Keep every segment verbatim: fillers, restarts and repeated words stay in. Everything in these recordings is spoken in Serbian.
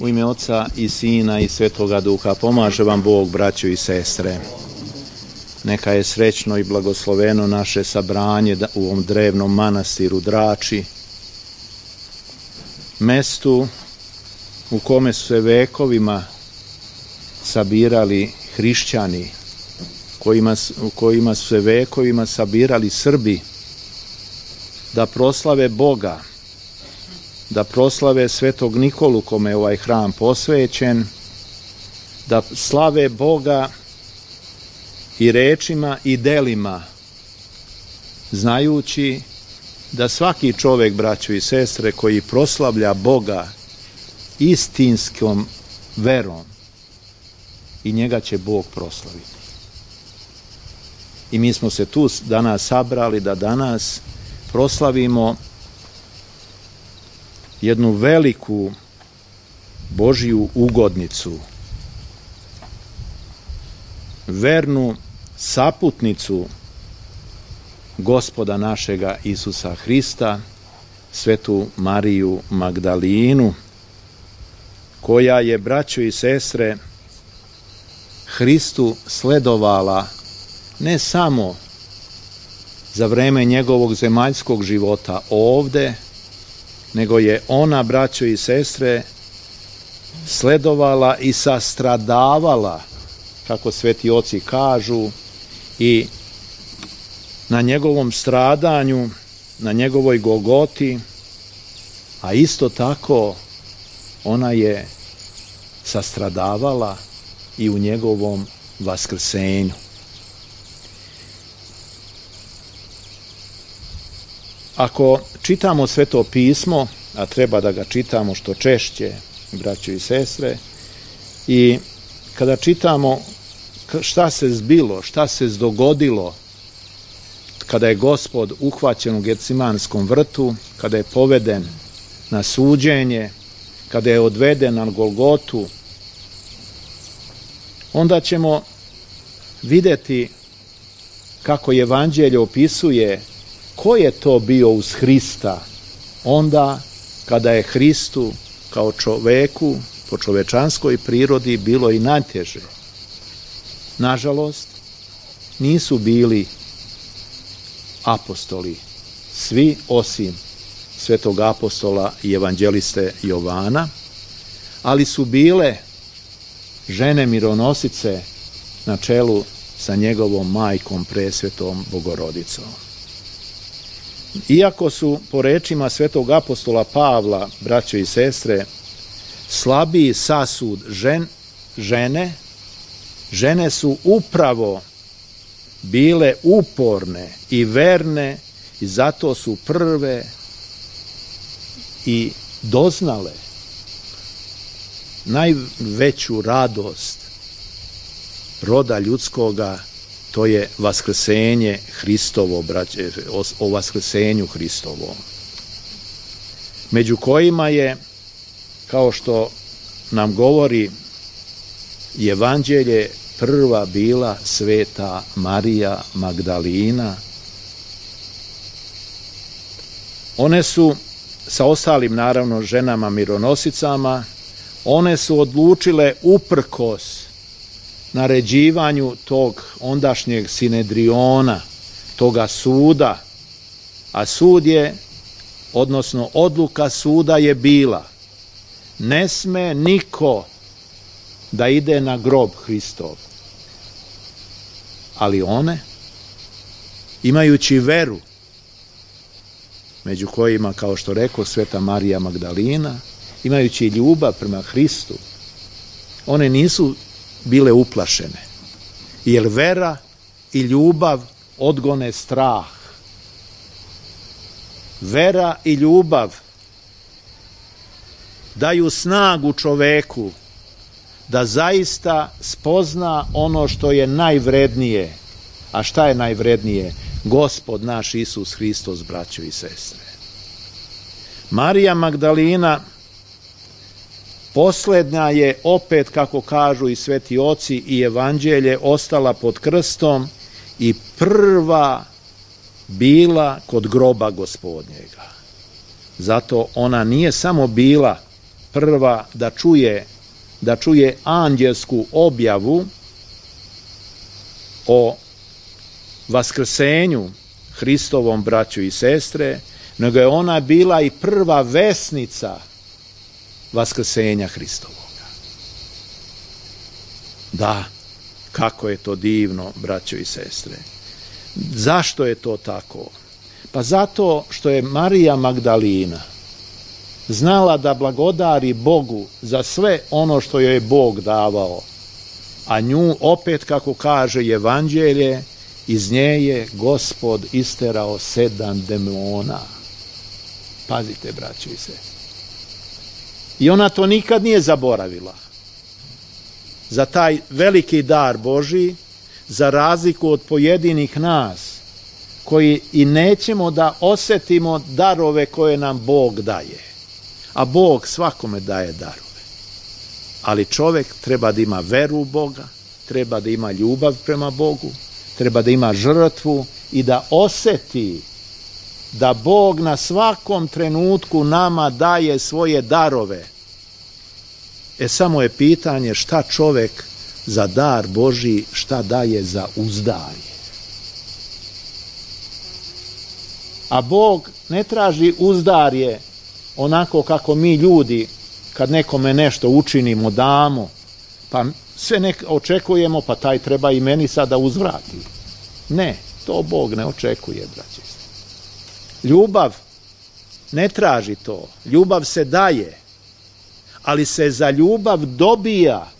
U ime Oca i Sina i Svetoga Duha pomaže vam Bog, braćo i sestre. Neka je srećno i blagosloveno naše sabranje u ovom drevnom manastiru Drači, mestu u kome su se vekovima sabirali hrišćani, kojima, u kojima su se vekovima sabirali Srbi, da proslave Boga, da proslave Svetog Nikolu, kome je ovaj hram posvećen, da slave Boga i rečima i delima, znajući da svaki čovjek, braćo i sestre, koji proslavlja Boga istinskom verom, i njega će Bog proslaviti. I mi smo se tu danas sabrali da danas proslavimo jednu veliku Božju ugodnicu, vernu saputnicu Gospoda našega Isusa Hrista, Svetu Mariju Magdalinu, koja je, braćo i sestre, Hristu sledovala ne samo za vreme njegovog zemaljskog života ovde, nego je ona, braćo i sestre, sledovala i sastradavala, kako sveti oci kažu, i na njegovom stradanju, na njegovoj Golgoti, a isto tako ona je sastradavala i u njegovom vaskrsenju. Ako čitamo Sveto pismo, a treba da ga čitamo što češće, braćo i sestre, i kada čitamo šta se zbilo, šta se dogodilo kada je Gospod uhvaćen u Gecimanskom vrtu, kada je poveden na suđenje, kada je odveden na Golgotu, onda ćemo vidjeti kako Evanđelje opisuje ko je to bio uz Hrista onda kada je Hristu kao čoveku po čovečanskoj prirodi bilo i najteže. Nažalost, nisu bili apostoli, svi osim svetog apostola i evanđeliste Jovana, ali su bile žene mironosice na čelu sa njegovom majkom presvetom Bogorodicom. Iako su, po rečima svetog apostola Pavla, braćo i sestre, slabiji sasud žen, žene, žene su upravo bile uporne i verne i zato su prve i doznale najveću radost roda ljudskoga, to je vaskrsenje Hristovo, braće, o vaskrsenju Hristovom, među kojima je, kao što nam govori Evanđelje, prva bila Sveta Marija Magdalina. One su, sa ostalim naravno ženama mironosicama, one su odlučile uprkos naređivanju tog ondašnjeg sinedriona, toga suda, a sud je, odnosno odluka suda je bila: ne sme niko da ide na grob Hristov. Ali one, imajući veru, među kojima, kao što rekao, Sveta Marija Magdalina, imajući ljubav prema Hristu, one nisu bile uplašene, jer vera i ljubav odgone strah. Vera i ljubav daju snagu čoveku da zaista spozna ono što je najvrednije. A šta je najvrednije? Gospod naš Isus Hristos, braćo i sestre. Marija Magdalina posljednja je opet, kako kažu i sveti oci i Evanđelje, ostala pod krstom i prva bila kod groba Gospodnjega. Zato ona nije samo bila prva da čuje, da čuje anđelsku objavu o vaskrsenju Hristovom, braćo i sestre, nego je ona bila i prva vesnica vaskrsenja Hristovoga. Da, kako je to divno, braćo i sestre. Zašto je to tako? Pa zato što je Marija Magdalina znala da blagodari Bogu za sve ono što joj je Bog davao, a nju opet, kako kaže Evanđelje, iz nje je Gospod isterao sedam demona. Pazite, braćo i sestre. I ona to nikad nije zaboravila. Za taj veliki dar Božji, za razliku od pojedinih nas, koji i nećemo da osjetimo darove koje nam Bog daje. A Bog svakome daje darove. Ali čovjek treba da ima veru u Boga, treba da ima ljubav prema Bogu, treba da ima žrtvu i da osjeti da Bog na svakom trenutku nama daje svoje darove. E samo je pitanje šta čovjek za dar Božji, šta daje za uzdarje. A Bog ne traži uzdarje onako kako mi ljudi, kad nekome nešto učinimo, damo, pa sve nek očekujemo, pa taj treba i meni sada uzvrati. Ne, to Bog ne očekuje, braći. Ljubav ne traži to. Ljubav se daje, ali se za ljubav dobija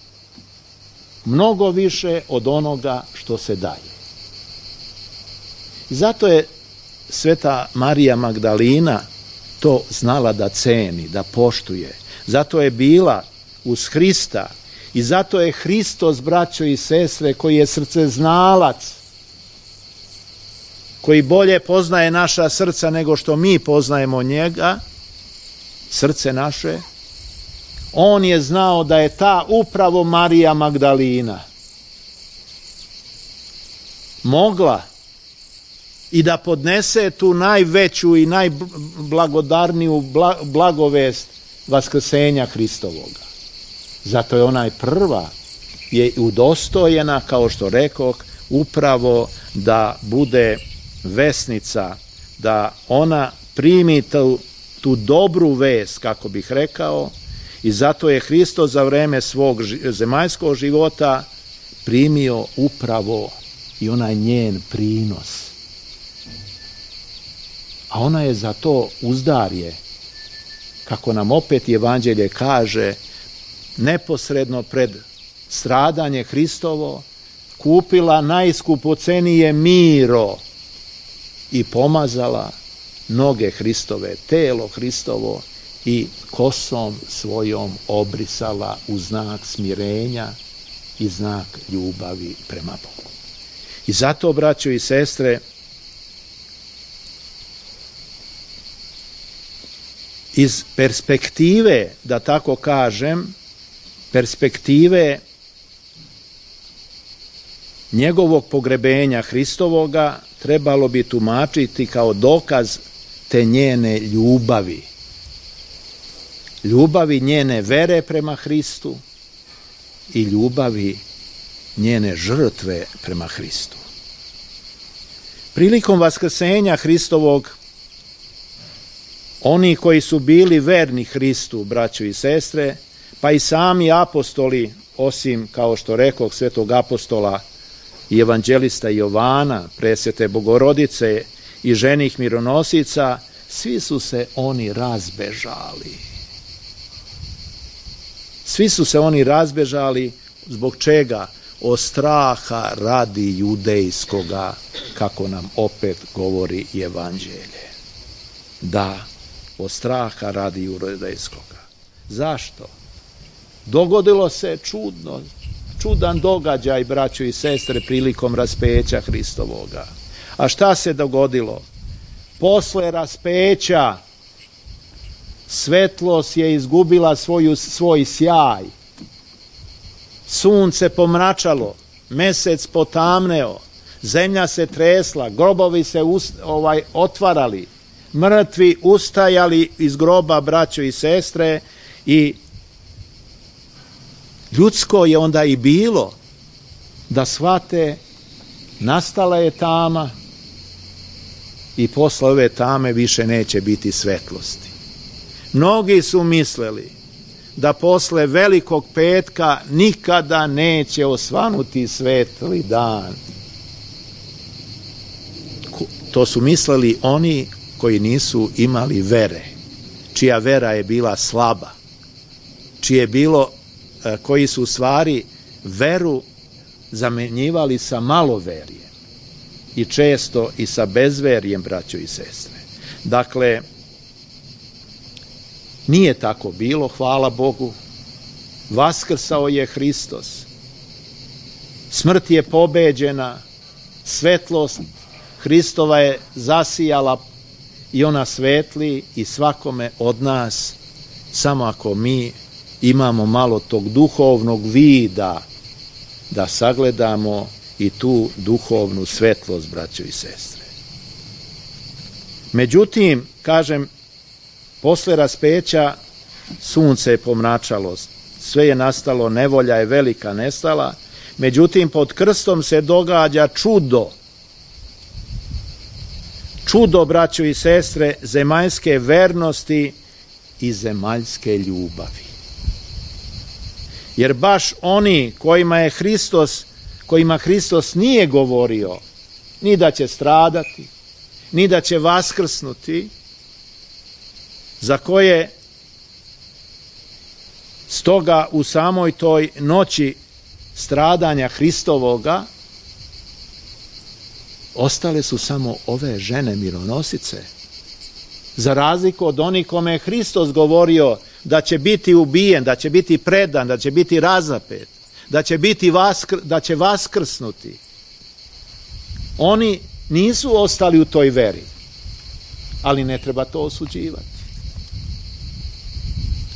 mnogo više od onoga što se daje. I zato je sveta Marija Magdalina to znala da ceni, da poštuje. Zato je bila uz Hrista i zato je Hristos, braćo i sestre, koji je srceznalac, koji bolje poznaje naša srca nego što mi poznajemo njega, srce naše, on je znao da je ta upravo Marija Magdalina mogla i da podnese tu najveću i najblagodarniju blagovest vaskrsenja Hristovoga. Zato je ona prva je udostojena, kao što rekoh, upravo da bude vesnica, da ona primi tu, tu dobru vest, kako bih rekao, i zato je Hristos za vreme svog zemaljskog života primio upravo i onaj njen prinos. A ona je za to uzdarje, kako nam opet Evanđelje kaže, neposredno pred stradanje Hristovo, kupila najskupocenije miro i pomazala noge Hristove, telo Hristovo i kosom svojom obrisala u znak smirenja i znak ljubavi prema Bogu. I zato, braćo i sestre, iz perspektive, da tako kažem, perspektive njegovog pogrebenja Hristovoga trebalo bi tumačiti kao dokaz te njene ljubavi. Ljubavi njene vere prema Hristu i ljubavi njene žrtve prema Hristu. Prilikom vaskrsenja Hristovog, oni koji su bili verni Hristu, braćo i sestre, pa i sami apostoli, osim, kao što rekoh, svetog apostola i evanđelista Jovana, presvete Bogorodice i ženih mironosica, svi su se oni razbežali. Svi su se oni razbežali zbog čega? Od straha radi judejskoga, kako nam opet govori Evanđelje. Da, od straha radi judejskoga. Zašto? Dogodilo se čudno, čudan događaj, braćo i sestre, prilikom raspeća Hristovoga. A šta se dogodilo? Posle raspeća svetlost je izgubila svoju, svoj sjaj. Sunce pomračalo, mesec potamneo, zemlja se tresla, grobovi se ust, ovaj, otvarali, mrtvi ustajali iz groba, braćo i sestre, i Ljudsko je onda i bilo da shvate nastala je tama i posle ove tame više neće biti svetlosti. Mnogi su mislili da posle Velikog petka nikada neće osvanuti svetli dan. To su mislili oni koji nisu imali vere, čija vera je bila slaba, čije je bilo, koji su u stvari veru zamenjivali sa maloverjem i često i sa bezverjem, braćo i sestre. Dakle, nije tako bilo, hvala Bogu. Vaskrsao je Hristos. Smrt je pobeđena, svetlost Hristova je zasijala i ona svetli i svakome od nas, samo ako mi imamo malo tog duhovnog vida da sagledamo i tu duhovnu svetlost, braćo i sestre. Međutim, kažem, posle raspeća sunce je pomračalo, sve je nastalo, nevolja je velika nestala, međutim pod krstom se događa čudo. Čudo, braćo i sestre, zemaljske vernosti i zemaljske ljubavi. Jer baš oni kojima je Hristos, kojima Hristos nije govorio ni da će stradati, ni da će vaskrsnuti, za koje stoga u samoj toj noći stradanja Hristovoga ostale su samo ove žene mironosice. Za razliku od onih kome je Hristos govorio da će biti ubijen, da će biti predan, da će biti razapet, da će, biti vaskr, da će vaskrsnuti. Oni nisu ostali u toj veri, ali ne treba to osuđivati.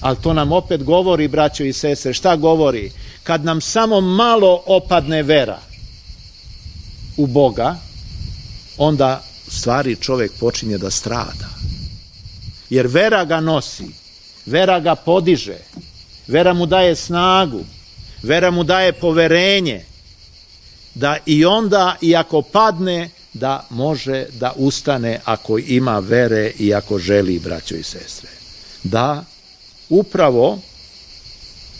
Ali to nam opet govori, braćo i sestre, šta govori? Kad nam samo malo opadne vera u Boga, onda stvari čovjek počinje da strada. Jer vera ga nosi, vera ga podiže, vera mu daje snagu, vera mu daje poverenje, da i onda, i ako padne, da može da ustane ako ima vere i ako želi, braćo i sestre. Da, upravo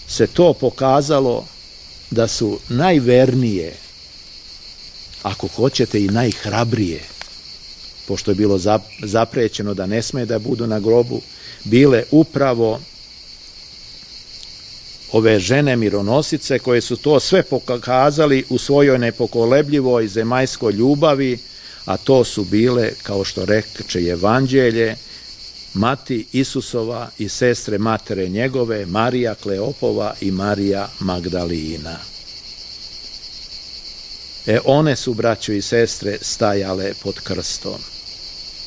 se to pokazalo da su najvernije, ako hoćete i najhrabrije, pošto je bilo zaprećeno da ne sme da budu na grobu, bile upravo ove žene mironosice koje su to sve pokazali u svojoj nepokolebljivoj zemaljskoj ljubavi, a to su bile, kao što reče Evanđelje, mati Isusova i sestre matere njegove, Marija Kleopova i Marija Magdalina. E, one su, braćo i sestre, stajale pod krstom.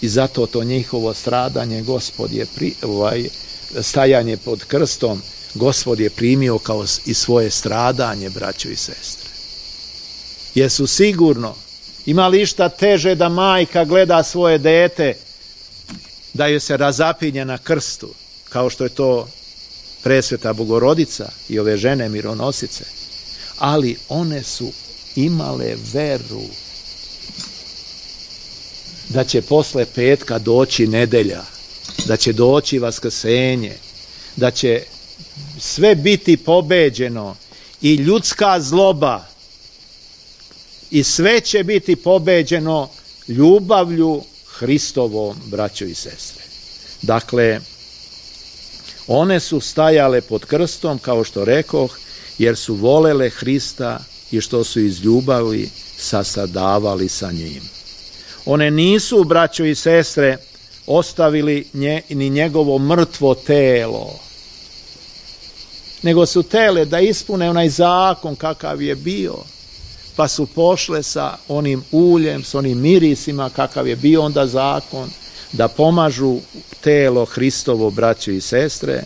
I zato to njihovo stradanje, Gospod je pri, ovaj, stajanje pod krstom, Gospod je primio kao i svoje stradanje, braćo i sestre. Jer su sigurno imali išta teže da majka gleda svoje dete, da joj se razapinje na krstu, kao što je to presveta Bogorodica i ove žene mironosice. Ali one su imale veru da će posle petka doći nedelja, da će doći vaskrsenje, da će sve biti pobeđeno i ljudska zloba i sve će biti pobeđeno ljubavlju Hristovom, braćo i sestre. Dakle, one su stajale pod krstom, kao što rekoh, jer su volele Hrista i što su iz ljubavi sasadavali sa njim. One nisu, braćo i sestre, ostavili nje, ni njegovo mrtvo telo, nego su tele da ispune onaj zakon kakav je bio, pa su pošle sa onim uljem, s onim mirisima kakav je bio onda zakon, da pomažu telo Hristovo, braćo i sestre,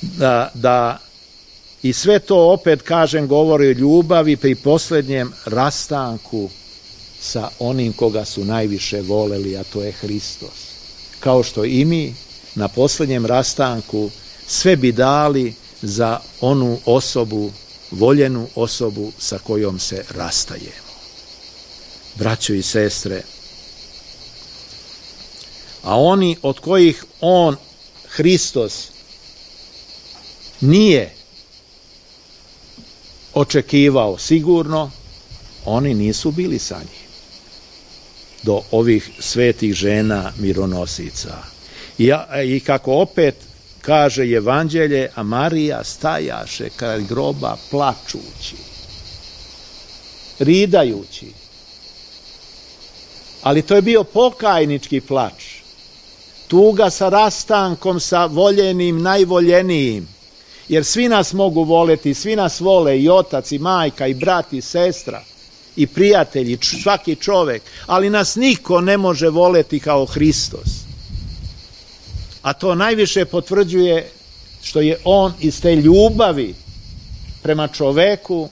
da, da i sve to opet, kažem, govori o ljubavi pri posljednjem rastanku sa onim koga su najviše voleli, a to je Hristos. Kao što i mi na posljednjem rastanku sve bi dali za onu osobu voljenu osobu sa kojom se rastajemo. Braćo i sestre, a oni od kojih on, Hristos, nije očekivao sigurno, oni nisu bili sa njim. Do ovih svetih žena mironosica. I, i kako opet kaže Evanđelje, a Marija stajaše kraj groba plačući, ridajući. Ali to je bio pokajnički plač. Tuga sa rastankom sa voljenim, najvoljenijim. Jer svi nas mogu voleti, svi nas vole, i otac, i majka, i brat, i sestra, i prijatelji, svaki čovek, ali nas niko ne može voleti kao Hristos. A to najviše potvrđuje što je on iz te ljubavi prema čoveku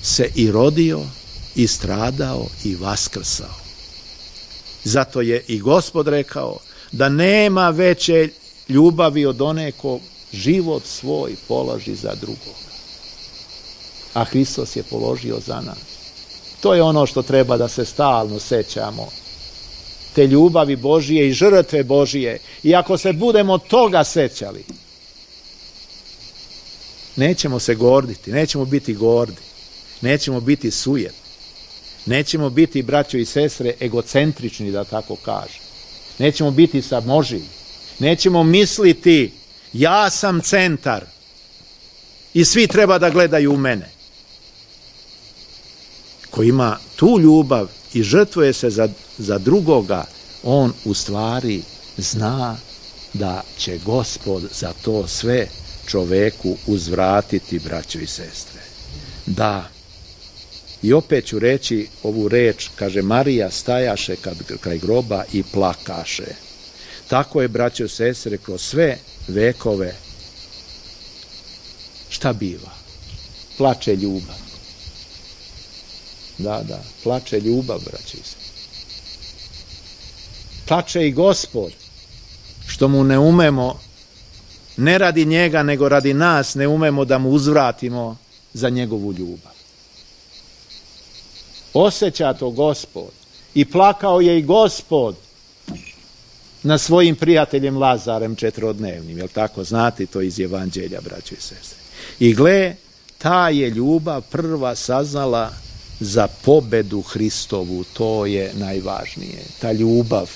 se i rodio, i stradao, i vaskrsao. Zato je i Gospod rekao da nema veće ljubavi od one ko život svoj položi za drugoga. A Hristos je položio za nas. To je ono što treba da se stalno sećamo. Te ljubavi Božije i žrtve Božije. I ako se budemo toga sećali, nećemo se gorditi, nećemo biti gordi, nećemo biti sujetni, nećemo biti, braćo i sestre, egocentrični, da tako kažem. Nećemo biti samoživi. Nećemo misliti, ja sam centar i svi treba da gledaju u mene. Ko ima tu ljubav i žrtvuje se za, za drugoga, on u stvari zna da će Gospod za to sve čoveku uzvratiti, braćo i sestre. Da, i opet ću reći ovu reč, kaže Marija stajaše kad, kraj groba i plakaše. Tako je, braćo i sestre, kroz sve vekove šta biva? Plače ljubav. Da, da, plače ljubav, braćo i sestre. Plače i Gospod, što mu ne umemo, ne radi njega, nego radi nas, ne umemo da mu uzvratimo za njegovu ljubav. Osjeća to Gospod. I plakao je i Gospod na svojim prijateljem Lazarem četrodnevnim, jel tako? Znate to iz Evanđelja, braćo i sestre. I gle, ta je ljubav prva saznala za pobedu Hristovu, to je najvažnije. Ta ljubav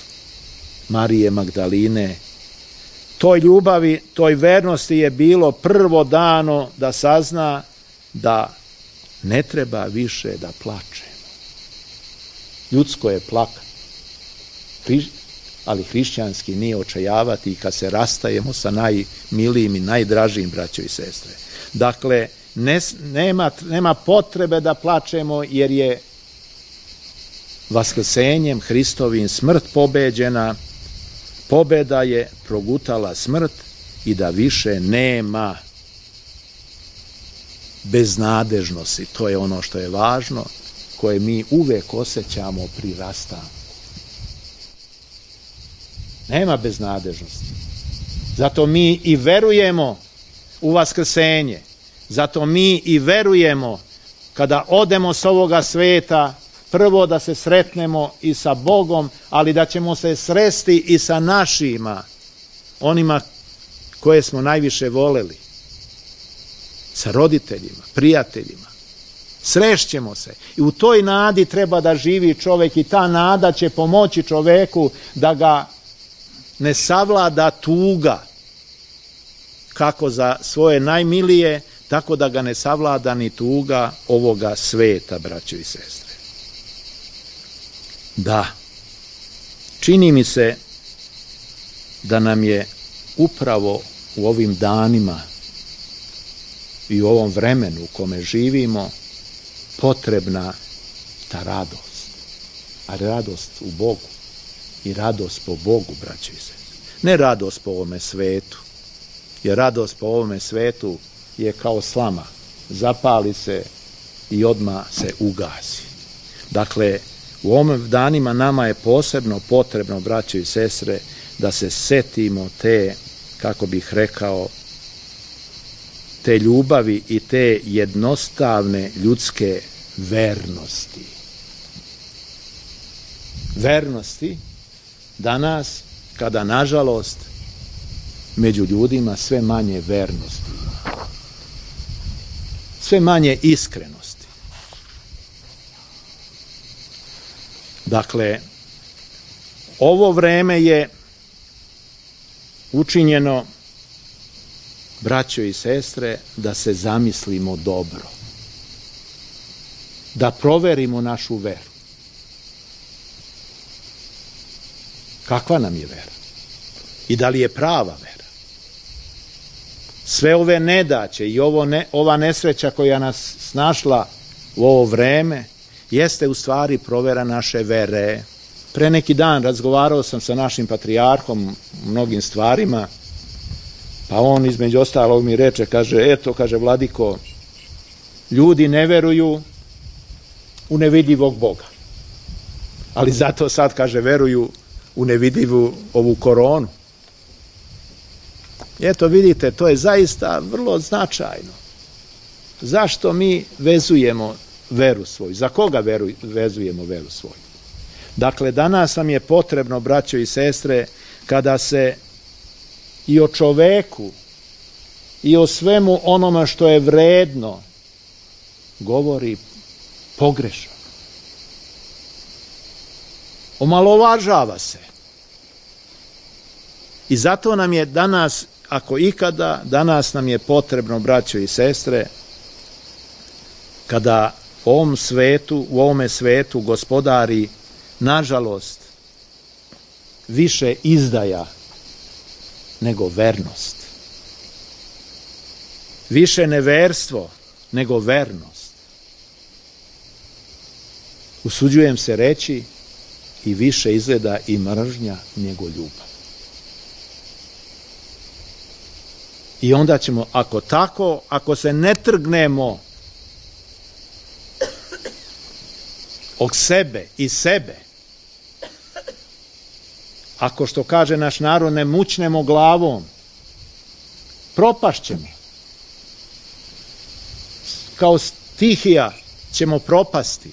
Marije Magdaline, toj ljubavi, toj vernosti je bilo prvo dano da sazna da ne treba više da plačemo. Ljudsko je plakati, ali hrišćanski nije očajavati kad se rastajemo sa najmilijim i najdražijim, braćo i sestre. Dakle, ne, nema, nema potrebe da plačemo, jer je vaskrsenjem Hristovim smrt pobeđena, pobeda je progutala smrt i da više nema beznadežnosti. To je ono što je važno, koje mi uvek osjećamo pri rastanku. Nema beznadežnosti. Zato mi i verujemo u vaskrsenje. Zato mi i verujemo kada odemo s ovoga sveta, prvo da se sretnemo i sa Bogom, ali da ćemo se sresti i sa našima, onima koje smo najviše voleli, sa roditeljima, prijateljima. Srešćemo se. I u toj nadi treba da živi čovek i ta nada će pomoći čoveku da ga ne savlada tuga kako za svoje najmilije, tako da ga ne savlada ni tuga ovoga sveta, braćo i sestre. Da, čini mi se da nam je upravo u ovim danima i u ovom vremenu u kome živimo potrebna ta radost, a radost u Bogu i radost po Bogu, braćo i sestre. Ne radost po ovome svetu, jer radost po ovome svetu je kao slama, zapali se i odmah se ugasi. Dakle, u ovim danima nama je posebno potrebno, braćo i sestre, da se setimo te, kako bih rekao, te ljubavi i te jednostavne ljudske vernosti. Vernosti danas, kada nažalost među ljudima sve manje vernosti, sve manje iskrenosti. Dakle, ovo vreme je učinjeno, braćo i sestre, da se zamislimo dobro, da proverimo našu veru. Kakva nam je vera? I da li je prava vera? Sve ove nedaće i ovo ne, ova nesreća koja nas snašla u ovo vreme jeste u stvari provera naše vere. Pre neki dan razgovarao sam sa našim patrijarhom o mnogim stvarima, pa on između ostalog mi reče, kaže, eto, kaže, vladiko, ljudi ne veruju u nevidljivog Boga, ali zato sad, kaže, veruju u nevidljivu ovu koronu. Eto, vidite, to je zaista vrlo značajno. Zašto mi vezujemo veru svoju? Za koga veru, vezujemo veru svoju? Dakle, danas nam je potrebno, braćo i sestre, kada se i o čoveku i o svemu onome što je vredno govori pogrešno. Omalovažava se. I zato nam je danas, ako ikada, danas nam je potrebno, braćo i sestre, kada u ovom svetu, u ovome svetu gospodari, nažalost, više izdaja nego vernost. Više neverstvo nego vernost. Usuđujem se reći, i više izgleda i mržnja nego ljubav. I onda ćemo, ako tako, ako se ne trgnemo od sebe i sebe, ako, što kaže naš narod, ne mućnemo glavom, propašćemo. Kao stihija ćemo propasti.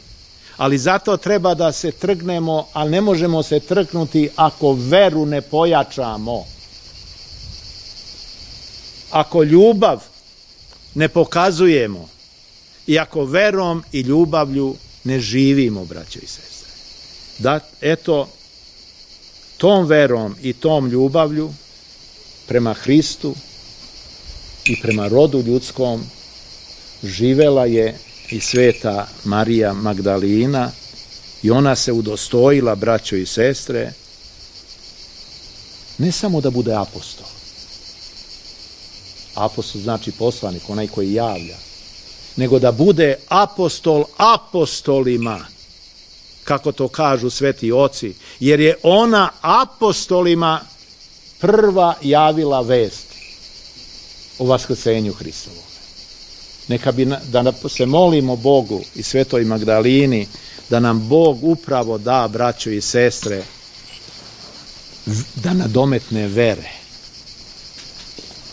Ali zato treba da se trgnemo, ali ne možemo se trknuti ako veru ne pojačamo. Ako ljubav ne pokazujemo i ako verom i ljubavlju ne živimo, braćo i sestre. Da, eto, tom verom i tom ljubavlju prema Hristu i prema rodu ljudskom živela je i sveta Marija Magdalina i ona se udostojila, braćo i sestre, ne samo da bude apostol. Apostol znači poslanik, onaj koji javlja, nego da bude apostol apostolima, kako to kažu sveti oci, jer je ona apostolima prva javila vest o vaskrsenju Hristovom. Neka bi, da se molimo Bogu i svetoj Magdalini, da nam Bog upravo da, braćo i sestre, da nadometne vere.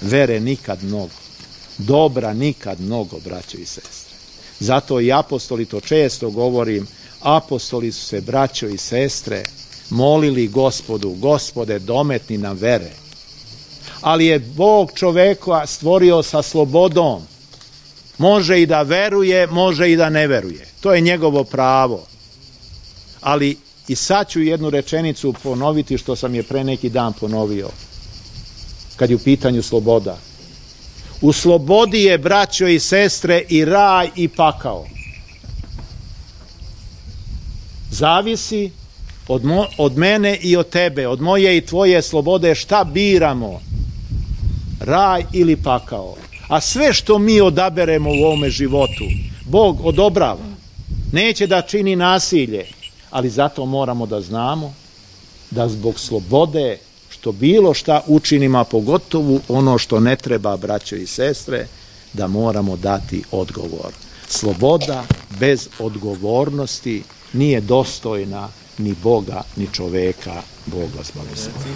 Vere nikad mnogo. Dobra nikad mnogo, braćo i sestre. Zato i apostoli, to često govorim, apostoli su se, braćo i sestre, molili Gospodu, Gospode, dometni nam vere. Ali je Bog čoveka stvorio sa slobodom. Može i da veruje, može i da ne veruje. To je njegovo pravo. Ali i sad ću jednu rečenicu ponoviti što sam je pre neki dan ponovio. Kad je u pitanju sloboda. U slobodi je, braćo i sestre, i raj i pakao. Zavisi od, mo, od mene i od tebe, od moje i tvoje slobode, šta biramo. Raj ili pakao. A sve što mi odaberemo u ovome životu, Bog odobrava. Neće da čini nasilje, ali zato moramo da znamo da zbog slobode, što bilo šta učinimo, a pogotovo ono što ne treba, braćo i sestre, da moramo dati odgovor. Sloboda bez odgovornosti nije dostojna ni Boga, ni čoveka. Bog vas blagoslovi.